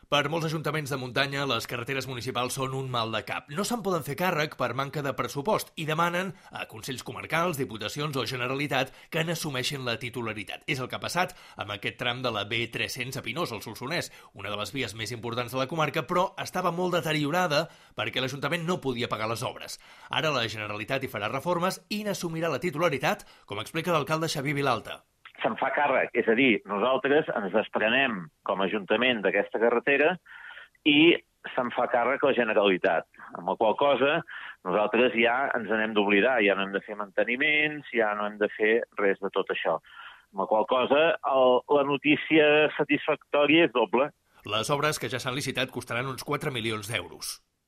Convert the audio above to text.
Per molts ajuntaments de muntanya, les carreteres municipals són un mal de cap. No se'n poden fer càrrec per manca de pressupost i demanen a consells comarcals, diputacions o Generalitat que n'assumeixin la titularitat. És el que ha passat amb aquest tram de la B300 a Pinós, al Solsonès, una de les vies més importants de la comarca, però estava molt deteriorada perquè l'Ajuntament no podia pagar les obres. Ara la Generalitat hi farà reformes i n'assumirà la titularitat, com explica l'alcalde Xavier Vilalta. Se'n fa càrrec, és a dir, nosaltres ens desprenem com a Ajuntament d'aquesta carretera i se'n fa càrrec la Generalitat, amb la qual cosa nosaltres ja ens n'hem d'oblidar, ja no hem de fer manteniments, ja no hem de fer res de tot això. Amb la qual cosa la notícia satisfactòria és doble. Les obres que ja s'han licitat costaran uns 4 milions d'euros.